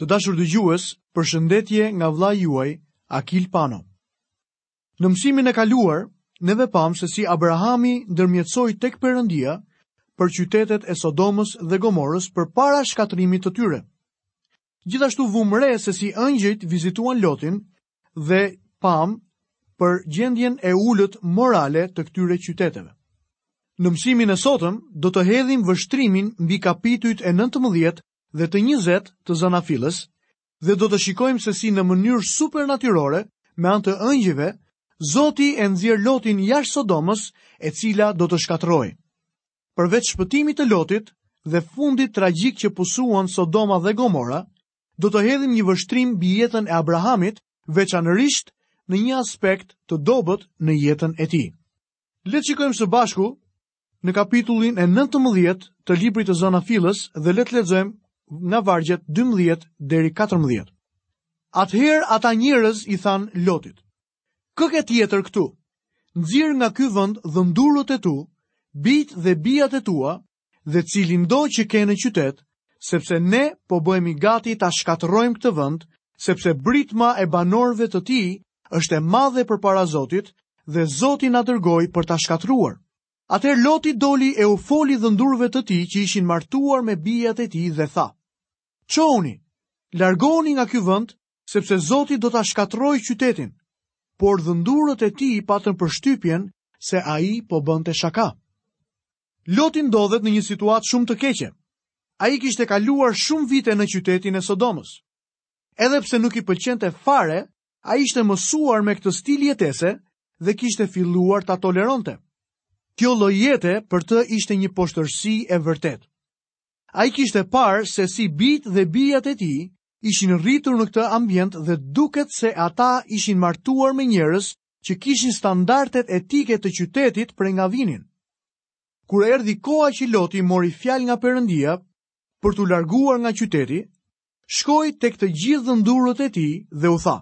Të dashur dëgjues, përshëndetje nga vëllai juaj, Akil Pano. Në mësimin e kaluar, neve pamë se si Abrahami ndërmjetësoi tek Perëndia për qytetet e Sodomës dhe Gomorës përpara shkatërrimit të tyre. Gjithashtu vumë re se si engjëjt vizituan Lotin dhe pamë për gjendjen e ulët morale të këtyre qyteteve. Në mësimin e sotëm do të hedhim vështrimin mbi kapitujt e 19 dhe të 20 të Zanafillës dhe do të shikojmë se si në mënyrë supernatyrore, me anë të engjëjve, Zoti e nxjerr Lotin jashtë Sodomës, e cila do të shkatërrohej. Përveç shpëtimit të Lotit dhe fundit tragjik që pësuan Sodoma dhe Gomora, do të hedhim një vështrim mbi jetën e Abrahamit, veçanërisht në një aspekt të dobët në jetën e tij. Le të shikojmë së bashku në kapitullin e 19 të librit të Zanafillës dhe le të lexojmë nga vargjet 12 deri 14. Atëherë ata njerëz i thanë Lotit: Kë ke tjetër këtu? Nxirr nga ky vend dhëndurët e tu, bijtë dhe bijat e tua dhe cilindo që ke në qytet, sepse ne po bëhemi gati ta shkatërrojmë këtë vend, sepse britma e banorëve të tij është e madhe përpara Zotit dhe Zoti na dërgoi për ta shkatërruar. Atëherë Loti doli e u foli dhëndurëve të tij që ishin martuar me bijat e tij dhe tha: Çohuni, largohuni nga ky vend, sepse Zoti do ta shkatërrojë qytetin. Por dhëndurët e tij patën përshtypjen se ai po bënte shaka. Loti ndodhet në një situatë shumë të keqe. Ai kishte kaluar shumë vite në qytetin e Sodomës. Edhe pse nuk i pëlqente fare, ai ishte mësuar me këtë stil jetese dhe kishte filluar ta toleronte. Kjo lloj jete për të ishte një poshtërsi e vërtetë. Ai kishte parë se si bijtë dhe bijat e tij ishin rritur në këtë ambient dhe duket se ata ishin martuar me njerëz që kishin standardet etike të qytetit prej nga vinin. Kur erdhi koha që Loti mori fjalë nga Perëndia për t'u larguar nga qyteti, shkoi tek të gjithë dhëndurët e tij dhe u tha: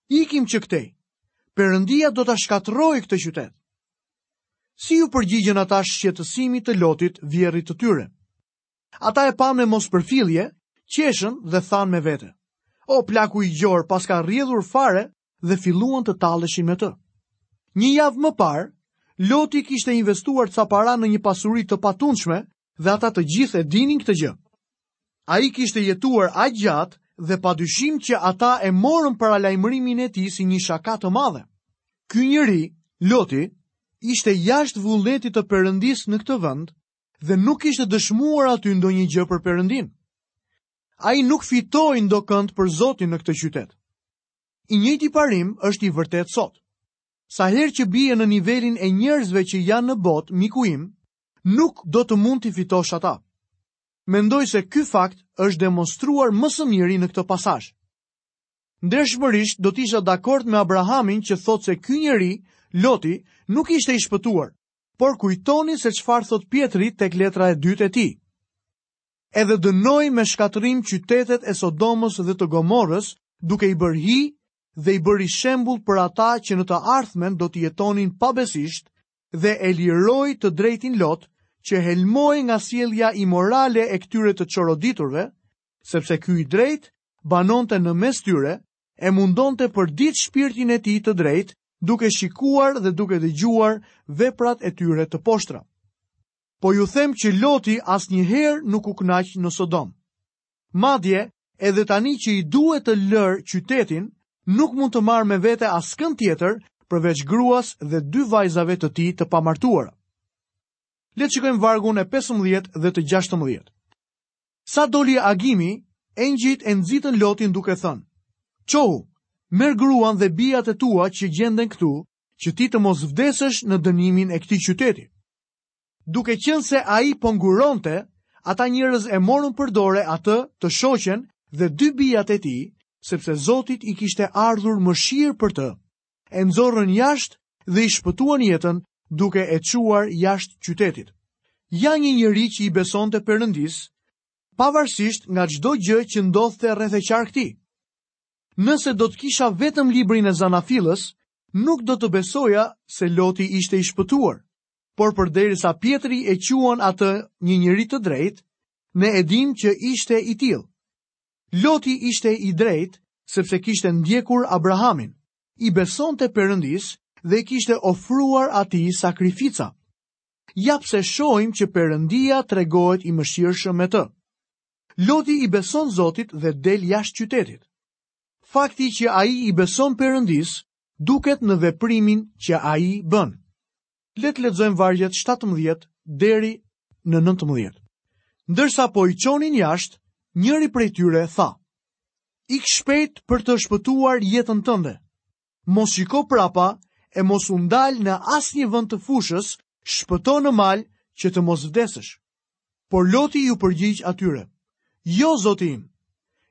Ikim që këtej. Perëndia do ta shkatërrojë këtë qytet. Si iu përgjigjën ata shqetësimit të Lotit, vjehrrit të tyre? Ata e panë me mospërfillje, qeshën dhe thanë me vete. O, plaku i gjorë paska rrjedhur fare dhe filluan të talleshin me të. Një javë më parë, Loti kishte investuar ca para në një pasuri të patundshme dhe ata të gjithë e dinin këtë gjë. Ai kishte jetuar aq gjatë dhe padyshim që ata e morën paralajmërimin e tij si një shaka të madhe. Ky njeri, Loti, ishte jashtë vullnetit të Perëndisë në këtë vend dhe nuk kishte dëshmuar aty ndonjë gjë për Perëndinë. Ai nuk fitoi ndokënd për Zotin në këtë qytet. I njëjti parim është i vërtetë sot. Sa herë që bie në nivelin e njerëzve që janë në botë, miku im, nuk do të mund t'i fitosh ata. Mendoj se ky fakt është demonstruar më së miri në këtë pasazh. Ndershmërisht do të isha dakord me Abrahamin që thotë se ky njeri, Loti, nuk ishte i shpëtuar, por kujtoni se çfarë thotë Pjetri tek letra e dytë e tij. Edhe dënoi me shkatërrim qytetet e Sodomës dhe të Gomorrës, duke i bërë hi dhe i bëri shembull për ata që në të ardhmen do të jetonin pabesisht dhe e liroi të drejtin Lot, që helmohej nga sjellja imorale e këtyre të çoroditurve, sepse ky i drejtë banonte në mes tyre, e mundonte përditë shpirtin e tij të drejtë, duke shikuar dhe duke dëgjuar veprat e tyre të poshtra. Po ju them që Loti asnjëherë nuk u kënaq në Sodomë. Madje, edhe tani që i duhet të lërë qytetin, nuk mund të marrë me vete askënd tjetër përveç gruas dhe dy vajzave të tij të pamartuara. Le të shikojmë vargun e 15 dhe të 16. Sa doli agimi, engjëjt e nxitën Lotin duke thënë: Çohu, merr gruan dhe bijat e tua që gjenden këtu, që ti të mos vdesësh në dënimin e këtij qyteti. Duke qenë se ai po nguronte, ata njerëz e morën për dore atë, të shoqen dhe dy bijat e tij, sepse Zotit i kishte ardhur mëshirë për të. E nxorrën jashtë dhe i shpëtuan jetën duke e çuar jashtë qytetit. Ja një njeri që i besonte Perëndisë, pavarësisht nga çdo gjë që ndodhte rreth e qark tij. Nëse do të kisha vetëm librin e Zanafillës, nuk do të besoja se Loti ishte i shpëtuar. Por përderisa Pjetri e quan atë një njeri të drejtë, ne e dimë që ishte i tillë. Loti ishte i drejtë sepse kishte ndjekur Abrahamin, i besonte Perëndisë dhe i kishte ofruar atij sakrifica. Ja pse shohim që Perëndia tregohet i mëshirshëm me të. Loti i beson Zotit dhe del jashtë qytetit. Fakti që ai i beson Perëndisë duket në veprimin që ai bën. Le të lexojmë vargjet 17 deri në 19. Ndërsa po i çonin jashtë, njëri prej tyre tha: Ik shpejt për të shpëtuar jetën tënde. Mos shiko prapa e mos u ndal në asnjë vend të fushës, shpëto në mal që të mos vdesësh. Por Loti iu përgjigj atyre: Jo, zoti im.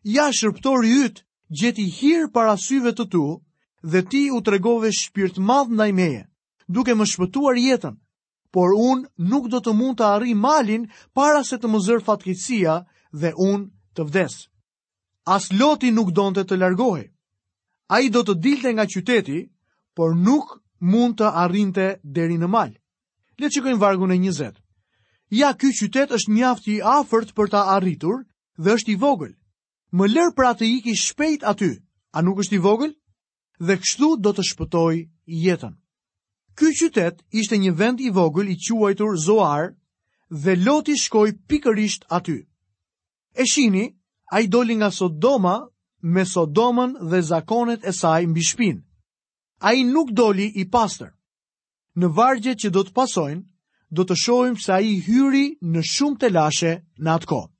Ja shërbëtori yt gjeti hir para syve të tu dhe ti u tregove shpirtmadh ndaj meje, duke më shpëtuar jetën. Por unë nuk do të mund të arrij malin para se të më zërë fatkeqësia dhe unë të vdes. As Loti nuk donte të largohej. Ai do të dilte nga qyteti, por nuk mund të arrinte deri në mal. Le të shikojmë vargun e 20. Ja, ky qytet është mjaft i afërt për ta arritur dhe është i vogël. Më lër pra të iki shpejt aty. A nuk është i vogël? Dhe kështu do të shpëtoj jetën. Ky qytet ishte një vend i vogël i quajtur Zoar dhe Loti shkoi pikërisht aty. E shihni, ai doli nga Sodoma me Sodomën dhe zakonet e saj mbi shpinë. Ai nuk doli i pastër. Në vargjet që do të pasojnë, do të shohim se ai hyri në shumë telashe në atë kohë.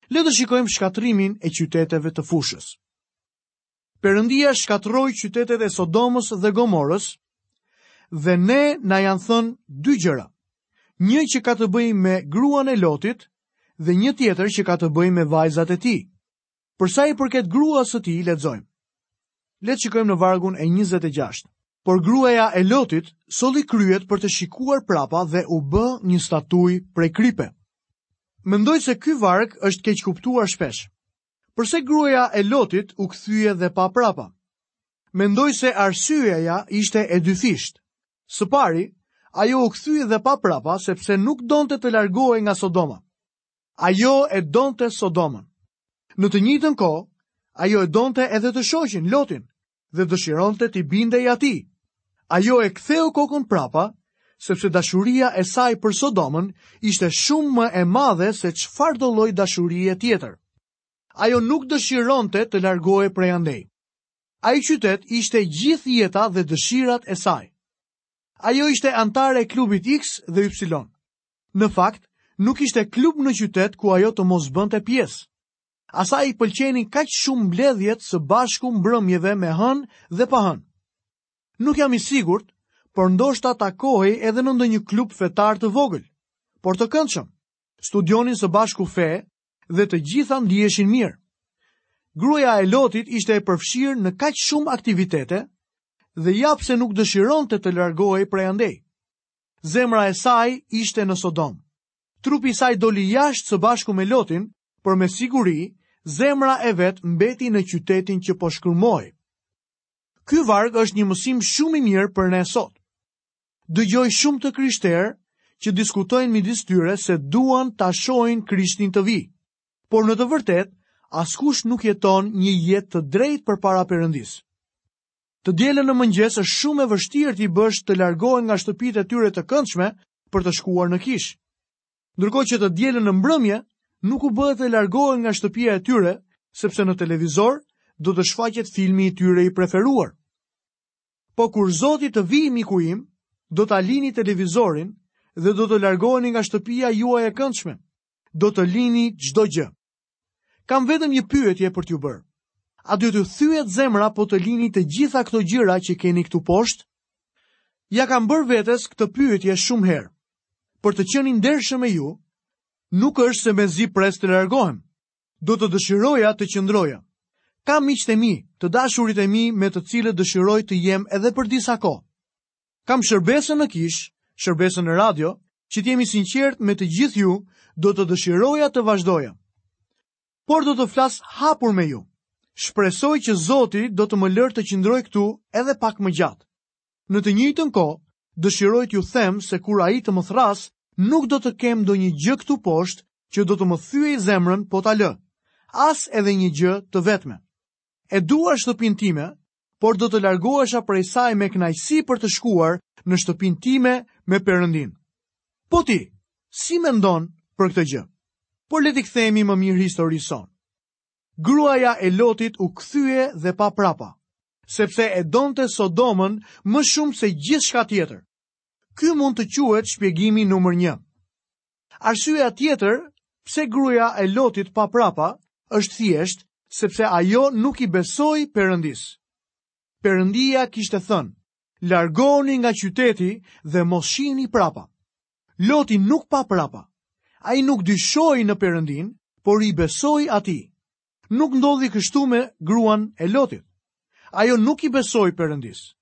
Le të shikojmë shkatërrimin e qyteteve të fushës. Perëndia shkatërroi qytetet e Sodomës dhe Gomorës dhe ne na janë thënë dy gjëra. Një që ka të bëjë me gruan e Lotit dhe një tjetër që ka të bëjë me vajzat e tij. Për sa i përket gruas së tij, lexojmë. Le të shikojmë në vargun e 26. Por gruaja e Lotit solli kryet për të shikuar prapa dhe u bë një statujë prej kripe. Mendoj se ky varg është keqkuptuar shpesh. Përse gruaja e Lotit u kthye dhe pa prapa? Mendoj se arsyeja ishte e dyfishtë. Së pari, ajo u kthye dhe pa prapa sepse nuk donte të largohej nga Sodoma. Ajo e donte Sodomën. Në të njëjtën kohë, ajo e donte edhe të shoqin, Lotin, dhe dëshironte t'i bindej atij. Ajo e ktheu kokën prapa, sepse dashuria e saj për Sodomën ishte shumë më e madhe se çfarëdo lloj dashurie tjetër. Ajo nuk dëshironte të largohej prej andej. Ai qytet ishte gjithë jeta dhe dëshirat e saj. Ajo ishte anëtare e klubit X dhe Y. Në fakt, nuk ishte klub në qytet ku ajo të mos bënte pjesë. Asaj i pëlqenin kaq shumë mbledhjet së bashku mbrëmjeve me hënë dhe pa hënë. Nuk jam i sigurt, por ndoshta takohej edhe në ndonjë klub fetar të vogël, por të këndshëm. Studionin së bashku fe dhe të gjitha ndiheshin mirë. Gruaja e Lotit ishte e përfshirë në kaq shumë aktivitete dhe ja pse nuk dëshironte të largohej prej andej. Zemra e saj ishte në Sodomë. Trupi i saj doli jashtë së bashku me Lotin, por me siguri zemra e vet mbeti në qytetin që po shkrumohej. Ky varg është një mësim shumë i mirë për ne sot. Dëgjoj shumë të krishterë që diskutojnë midis tyre se duan ta shohin Krishtin të vijë. Por në të vërtetë, askush nuk jeton një jetë të drejtë përpara Perëndisë. Të dielën në mëngjes është shumë e vështirë t'i bësh të largohen nga shtëpitë e tyre të këndshme për të shkuar në kishë. Ndërkohë që të dielën në mbrëmje nuk u bëhet të largohen nga shtëpia e tyre, sepse në televizor do të shfaqet filmi i tyre i preferuar. Po kur Zoti të vijë miku im, do ta lini televizorin dhe do të largoheni nga shtëpia juaj e këndshme. Do të lini çdo gjë. Kam vetëm një pyetje për t'ju bërë. A do t'ju thyhet zemra po të lini të gjitha këto gjëra që keni këtu poshtë? Ia kam bërë vetes këtë pyetje shumë herë. Për të qenë i ndershëm me ju, nuk është se mezi pres të largohem. Do të dëshiroja të qëndroja. Kam miqtë e mi, të dashurit e mi me të cilët dëshiroj të jem edhe për disa kohë. Kam shërbesën në kishë, shërbesën në radio, që të jem i sinqertë me të gjithë ju, do të dëshiroja të vazhdoja. Por do të flas hapur me ju. Shpresoj që Zoti do të më lërë të qëndroj këtu edhe pak më gjatë. Në të njëjtën kohë, dëshiroj t'ju them se kur ai të më thërrasë, nuk do të kem ndonjë gjë këtu poshtë që do të më thyejë zemrën po ta lë. as edhe një gjë të vetme. E dua shtëpinë time, por do të largohesha prej saj me kënaqësi për të shkuar në shtëpinë time me Perëndinë. Po ti, si mendon për këtë gjë? Por le t'i kthehemi më mirë historisë sonë. Gruaja e Lotit u kthye dhe pa prapa, sepse e donte Sodomën më shumë se gjithçka tjetër. Ky mund të quhet shpjegimi numër 1. Arsyeja tjetër pse gruaja e Lotit pa prapa është thjesht sepse ajo nuk i besoi Perëndisë. Perëndia kishte thënë, largohuni nga qyteti dhe mos shihni prapa. Loti nuk pa prapa. Ai nuk dyshoi në Perëndinë, por i besoi atij. Nuk ndodhi kështu me gruan e Lotit. Ajo nuk i besoi Perëndisë.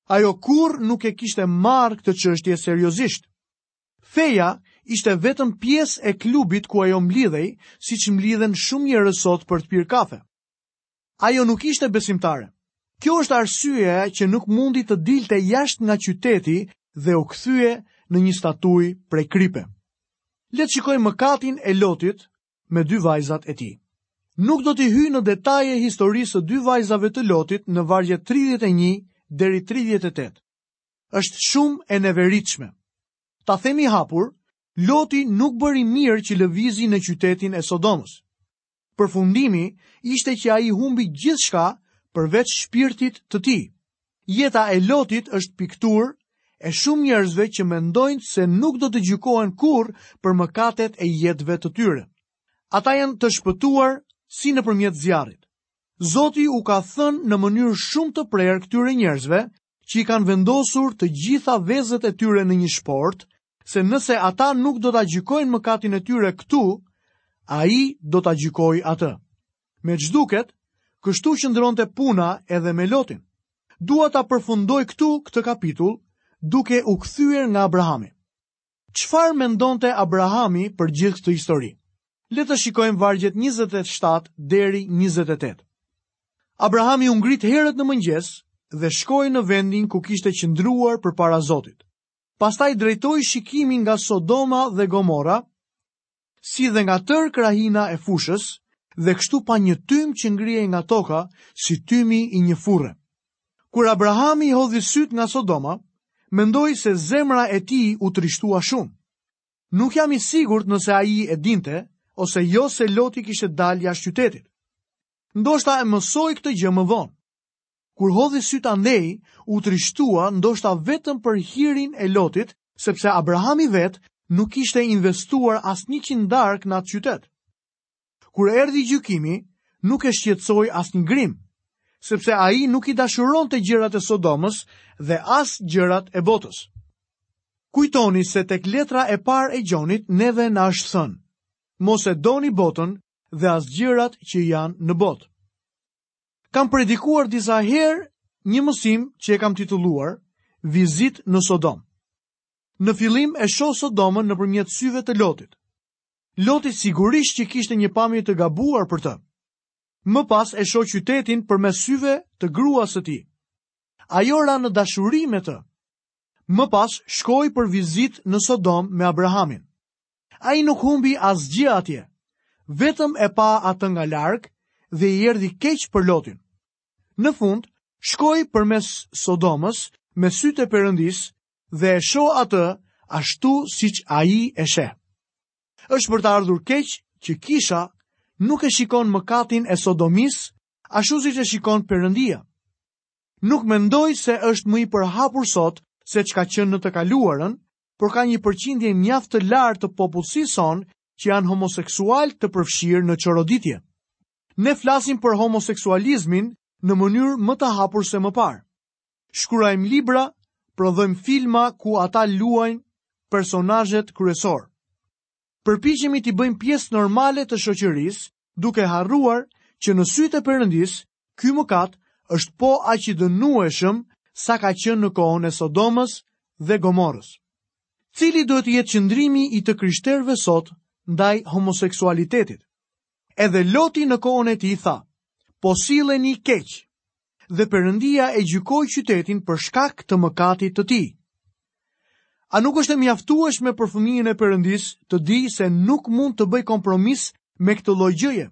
Ajo kurrë nuk e kishte marrë këtë çështje seriozisht. Feja ishte vetëm pjesë e klubit ku ajo mblidhej, siç mblidhen shumë njerëz sot për të pirë kafe. Ajo nuk ishte besimtare. Kjo është arsyeja që nuk mundi të dilte jashtë nga qyteti dhe u kthye në një statujë prej kripe. Le të shikojmë mëkatin e Lotit me dy vajzat e tij. Nuk do t'i hyj në detaje historisë së dy vajzave të Lotit në vargjet 31 deri 38. Është shumë e neveritshme. Ta themi hapur, Loti nuk bëri mirë që lëvizi në qytetin e Sodomës. Përfundimi ishte që ai humbi gjithçka përveç shpirtit të tij. Jeta e Lotit është pikturë e shumë njerëzve që mendojnë se nuk do të gjykohen kurrë për mëkatet e jetëve të tyre. Ata janë të shpëtuar si nëpërmjet zjarrit. Zoti u ka thënë në mënyrë shumë të prerë këtyre njerëzve që i kanë vendosur të gjitha vezët e tyre në një shportë, se nëse ata nuk do ta gjykojnë mëkatin e tyre këtu, ai do ta gjykojë atë. Me ç'duket, kështu qëndronte puna edhe me Lotin. Dua ta përfundoj këtu këtë kapitull duke u kthyer nga Abrahami. Çfarë mendonte Abrahami për gjithë këtë histori? Le të shikojmë vargjet 27 deri 28. Abrahami u ngrit herët në mëngjes dhe shkoi në vendin ku kishte qëndruar përpara Zotit. Pastaj drejtoi shikimin nga Sodoma dhe Gomora, si dhe nga tërë krahina e fushës, dhe kështu pa një tym që ngrihej nga toka si tymi i një furre. Kur Abrahami hodhi sytë nga Sodoma, mendoj se zemra e tij u trishtua shumë. Nuk jam i sigurt nëse ai e dinte ose jo se Loti kishte dalë jashtë qytetit. Ndoshta e mësoi këtë gjë më vonë. Kur hodhi sytë andej, u trishtua ndoshta vetëm për hirin e Lotit, sepse Abrahami vetë nuk kishte investuar asnjë qindarkë në atë qytet. Kur erdhi gjykimi, nuk e shqetësoi asnjë grimë, sepse ai nuk i dashuronte gjërat e Sodomës dhe as gjërat e botës. Kujtoni se tek letra e parë e Gjonit neve na është thënë, mos e doni botën dhe as gjërat që janë në botë. Kam predikuar disa herë një mësim që e kam titulluar Vizitë në Sodomë. Në fillim e shoh Sodomën nëpërmjet syve të Lotit. Loti sigurisht që kishte një pamje të gabuar për të. Më pas e shoh qytetin përmes syve të gruas së tij. Ajo ra në dashuri me të. Më pas shkoi për vizitë në Sodomë me Abrahamin. Ai nuk humbi asgjë atje. Vetëm e pa atë nga larg dhe i erdhi keq për Lotin. Në fund, shkoj përmes Sodomës me sytë e Perëndisë dhe e shoh atë ashtu siç ai e sheh. Është për të ardhur keq që kisha nuk e shikon mëkatin e Sodomisë ashtu siç e shikon Perëndia. Nuk mendoj se është më i përhapur sot se ç'ka qenë në të kaluarën, por ka një përqindje mjaft të lartë të popullsisë sonë që janë homoseksualë të përfshirë në çoroditje. Ne flasim për homoseksualizmin në mënyrë më të hapur se më parë. Shkruajmë libra, prodhojmë filma ku ata luajnë personazhet kryesorë. Përpiqemi t'i bëjmë pjesë normale të shoqërisë, duke harruar që në sytë e Perëndisë, ky mëkat është po aq i dënueshëm sa ka qenë në kohën e Sodomës dhe Gomorrës. Cili duhet të jetë qëndrimi i të krishterëve sot ndaj homoseksualitetit? Edhe Loti në kohën e tij tha, po silleni keq. Dhe Perëndia e gjykoi qytetin për shkak të mëkatit të tij. A nuk është e mjaftueshme për fëmijën e Perëndisë të dijë se nuk mund të bëjë kompromis me këtë lloj gjëje?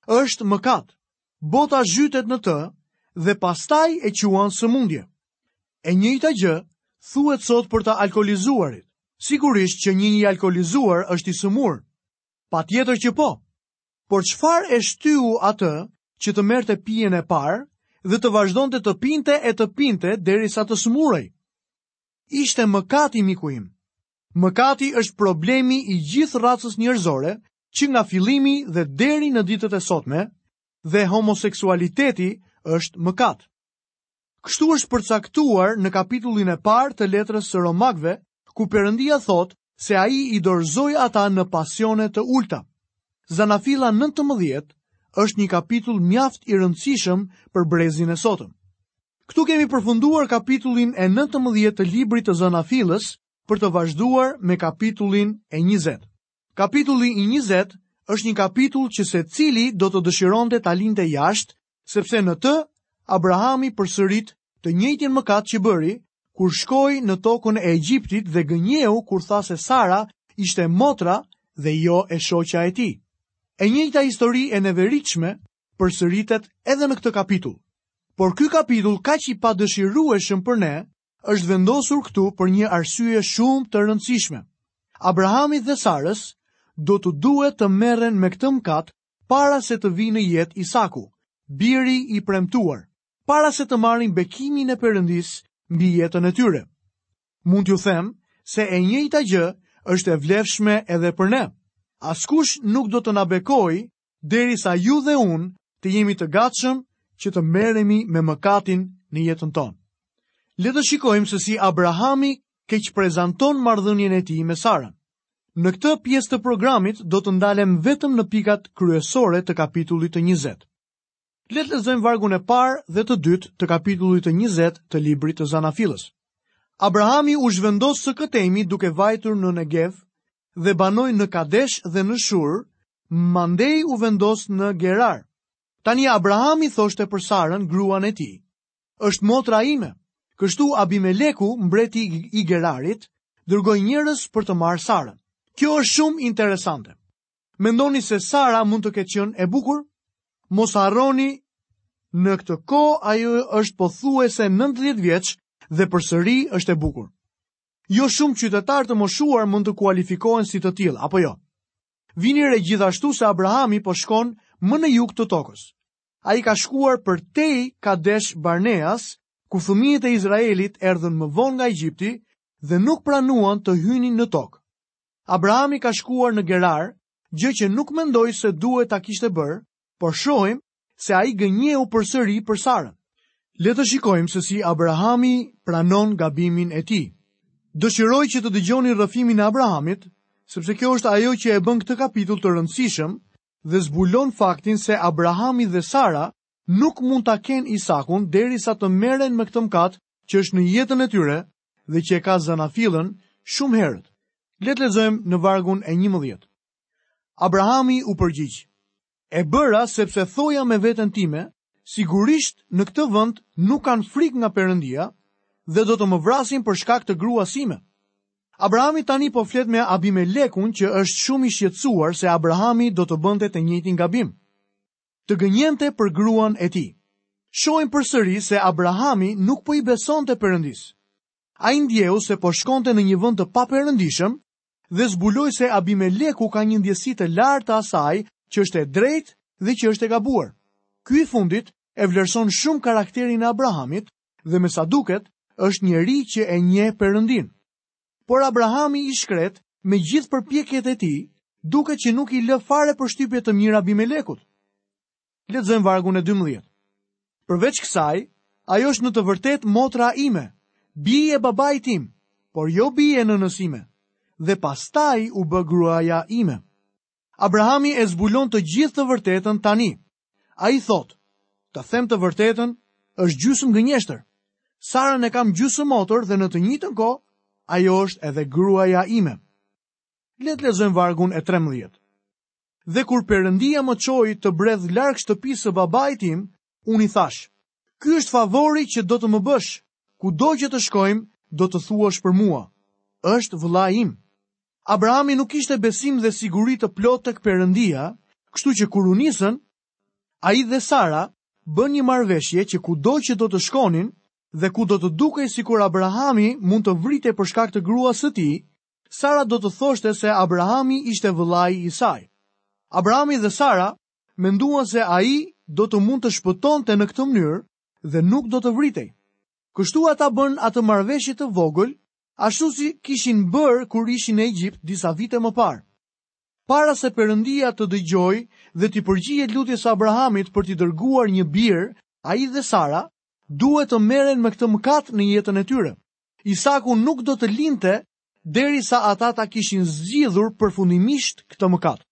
Është mëkat. Bota zhytet në të dhe pastaj e quan sëmundje. E njëjta gjë thuhet sot për të alkoolizuarit. Sigurisht që një i alkoolizuar është i sëmurë. Patjetër që po. Por çfarë e shtyu atë që të merrte pijen e parë dhe të vazhdonte të pinte e të pinte derisa të sëmurej? Ishte mëkati miku im. Mëkati është problemi i gjithë racës njerëzore që nga fillimi dhe deri në ditët e sotme dhe homoseksualiteti është mëkat. Kështu është përcaktuar në kapitullin e parë të letrës së Romakëve, ku Perëndia thotë se ai i dorëzoi ata në pasione të ulëta. Zanafilla 19 është një kapitull mjaft i rëndësishëm për brezin e sotëm. Këtu kemi përfunduar kapitullin e 19 të librit të Zanafillës për të vazhduar me kapitullin e 20. Kapitulli i 20 është një kapitull që secili do të dëshironte ta linte jashtë sepse në të Abrahami përsërit të njëjtin mëkat që bëri kur shkoi në tokën e Egjiptit dhe gënjeu kur tha se Sara ishte motra dhe jo e shoqja e tij. E njëjta histori e neveritshme përsëritet edhe në këtë kapitull. Por ky kapitull kaq i padëshirueshëm për ne është vendosur këtu për një arsye shumë të rëndësishme. Abrahamit dhe Sarës do t'u duhet të merren me këtë mëkat para se të vijë në jetë Isaku, biri i premtuar, para se të marrin bekimin e Perëndisë mbi jetën e tyre. Mund t'ju them se e njëjta gjë është e vlefshme edhe për ne. Askush nuk do të na bekojë derisa ju dhe unë të jemi të gatshëm që të merremi me mëkatin në jetën tonë. Le të shikojmë se si Abrahami keqprezanton marrëdhënien e tij me Sarën. Në këtë pjesë të programit do të ndalem vetëm në pikat kryesore të kapitullit të 20. Le të lexojmë vargun e parë dhe të dytë të kapitullit të 20 të librit të Zanafillës. Abrahami u zhvendos së këtejmi duke vajtur në Negev dhe banoi në Kadesh dhe në Shur, mandej u vendos në Gerar. Tani Abrahami thoshte për Sarën, gruan e tij, është motra ime. Kështu Abimeleku, mbreti i Gerarit, dërgoi njerëz për të marrë Sarën. Kjo është shumë interesante. Mendoni se Sara mund të ketë qenë e bukur? Mos harroni, në këtë kohë ajo është pothuajse 90 vjeç dhe përsëri është e bukur. Jo shumë qytetarë të moshuar mund të kualifikohen si të tillë, apo jo? Vini re gjithashtu se Abrahami po shkon më në jug të tokës. Ai ka shkuar përtej Kadesh Barneas, ku fëmijët e Izraelit erdhën më vonë nga Egjipti dhe nuk pranuan të hynin në tokë. Abrahami ka shkuar në Gerar, gjë që nuk mendoj se duhet ta kishte bërë, por shohim se ai gënjeu përsëri për Sarën. Le të shikojmë se si Abrahami pranon gabimin e tij. Dëshiroj që të dëgjoni rrëfimin e Abrahamit, sepse kjo është ajo që e bën këtë kapitull të rëndësishëm dhe zbulon faktin se Abrahami dhe Sara nuk mund ta kenë Isakun derisa të merren me këtë mëkat që është në jetën e tyre dhe që e ka zanafillën shumë herët. Le të lexojmë në vargun e 11. Abrahami u përgjigj: E bëra sepse thoja me veten time, sigurisht në këtë vend nuk kanë frikë nga Perëndia dhe do të më vrasin për shkak të gruas sime. Abrahami tani po flet me Abimelekun që është shumë i shqetësuar se Abrahami do të bënte të njëjtin gabim. Të gënjente për gruan e tij. Shohim përsëri se Abrahami nuk po i besonte Perëndisë. Ai ndjeu se po shkonte në një vend të paperëndishëm dhe zbuloi se Abimeleku ka një ndjesi të lartë të asaj që është e drejtë dhe që është e gabuar. Ky i fundit e vlerëson shumë karakterin e Abrahamit dhe me sa duket është njeri që e njeh Perëndinë. Por Abrahami i shkretë, me gjithë përpjekjet e tij, duket që nuk i lë fare përshtypje të mirë Abimelekut. Lexojmë vargun e 12. Përveç kësaj, ajo është në të vërtetë motra ime, bijë e babait tim, por jo bijë e nënës sime, dhe pastaj u bë gruaja ime. Abrahami e zbulon të gjithë të vërtetën tani. Ai thotë, të them të vërtetën, është gjysmë gënjeshtër. Sarën e kam gjysmë motër dhe në të njëjtën kohë, ajo është edhe gruaja ime. Le të lexojmë vargun e 13. Dhe kur Perëndia më çoi të bredh larg shtëpisë së babait tim, unë i thashë, ky është favori që do të më bësh, kudo që të shkojmë, do të thuash për mua, është vëllai im. Abrahami nuk kishte besim dhe siguri të plotë tek Perëndia, kështu që kur u nisën, Ai dhe Sara bënë një marrëveshje që kudo që do të shkonin dhe ku do të dukej sikur Abrahami mund të vritej për shkak të gruas së tij, Sara do të thoshte se Abrahami ishte vëllai i saj. Abrahami dhe Sara menduan se ai do të mund të shpëtonte në këtë mënyrë dhe nuk do të vritej. Kështu ata bënë atë marrëveshje të vogël, ashtu si kishin bërë kur ishin në Egjipt disa vite më parë. Para se Perëndia të dëgjojë dhe t'i përgjigjet lutjes së Abrahamit për t'i dërguar një bir, ai dhe Sara duhet të merren me këtë mëkat në jetën e tyre. Isaku nuk do të lindte derisa ata ta kishin zgjidhur përfundimisht këtë mëkat.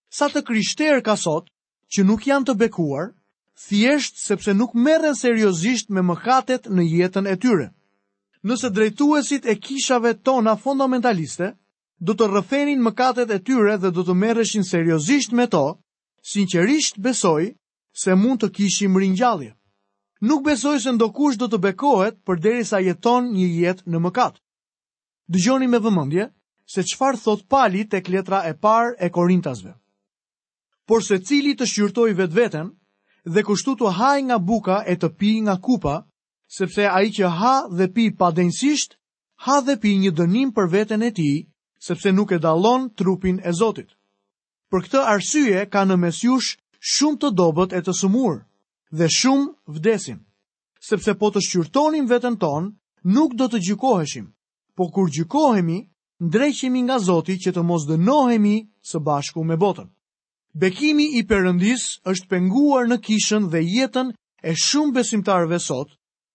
Sa të krishterë ka sot që nuk janë të bekuar, thjesht sepse nuk merren seriozisht me mëkatet në jetën e tyre. Nëse drejtuesit e kishave tona fondamentaliste do të rrëfenin mëkatet e tyre dhe do të merreshin seriozisht me to, sinqerisht besoj se mund të kishim ringjallje. Nuk besoj se ndokush do të bekohet përderisa jeton një jetë në mëkat. Dëgjoni me vëmendje se çfarë thotë Pali tek letra e parë e Korintasve. Por secili të shqyrtojë vetveten dhe kështu të hajë nga buka e të pijë nga kupa, sepse ai që ha dhe pi padenjësisht, ha dhe pi një dënim për veten e tij, sepse nuk e dallon trupin e Zotit. Për këtë arsye ka në mes jush shumë të dobët e të sëmurë, dhe shumë vdesin. Sepse po të shqyrtonim veten tonë, nuk do të gjykoheshim, po kur gjykohemi, ndreqemi nga Zoti që të mos dënohemi së bashku me botën. Bekimi i Perëndisë është penguar në kishën dhe jetën e shumë besimtarëve sot,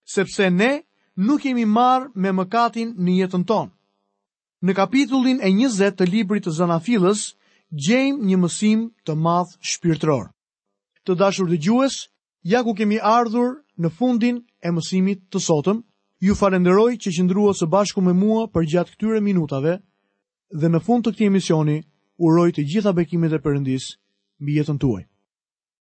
sepse ne nuk jemi marrë me mëkatin në jetën tonë. Në kapitullin e 20 të librit të Zanafillës gjejmë një mësim të madh shpirtëror. Të dashur dëgjues, ja ku kemi ardhur në fundin e mësimit të sotëm. Ju falënderoj që qëndruat së bashku me mua përgjatë këtyre minutave dhe në fund të këtij emisioni uroj të gjitha bekimet e Perëndisë mbi jetën tuaj.